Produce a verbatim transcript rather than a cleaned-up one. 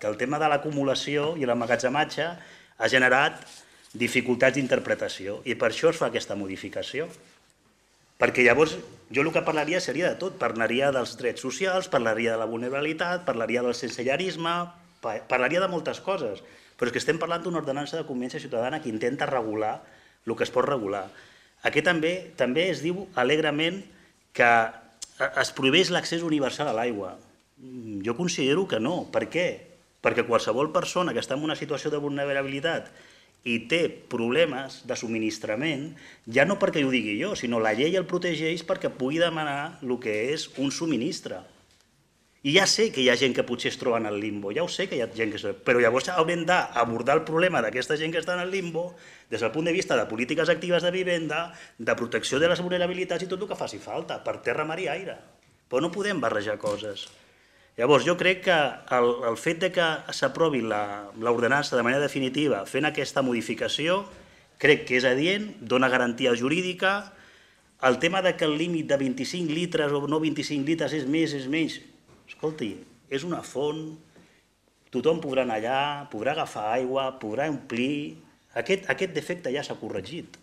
que el tema de l'acumulació i l'emmagatzematge ha generat dificultats d'interpretació i per això es fa aquesta modificació. Perquè llavors jo el que parlaria seria de tot, parlaria dels drets socials, parlaria de la vulnerabilitat, parlaria del sensellarisme, parlaria de moltes coses, però és que estem parlant d'una ordenança de convivència ciutadana que intenta regular el que es pot regular. Aquí també també es diu alegrement que es prohibeix l'accés universal a l'aigua. Jo considero que no. Per què? Perquè qualsevol persona que està en una situació de vulnerabilitat i té problemes de subministrament, ja no perquè ho digui jo, sinó la llei el protegeix perquè pugui demanar el que és un subministre. I ja sé que hi ha gent que potser es troba en el limbo, ja ho sé que hi ha gent que es troba, però llavors haurem d'abordar el problema d'aquesta gent que està en el limbo des del punt de vista de polítiques actives de vivenda, de protecció de les vulnerabilitats i tot el que faci falta, per terra, mar i aire. Però no podem barrejar coses. Llavors, jo crec que el, el fet de que s'aprovi l'ordenança de manera definitiva fent aquesta modificació, crec que és adient, dona garantia jurídica. El tema de que el límit de vint-i-cinc litres o no vint-i-cinc litres és més, és menys, escolti, és una font, tothom podrà anar allà, podrà agafar aigua, podrà omplir. Aquest, aquest defecte ja s'ha corregit.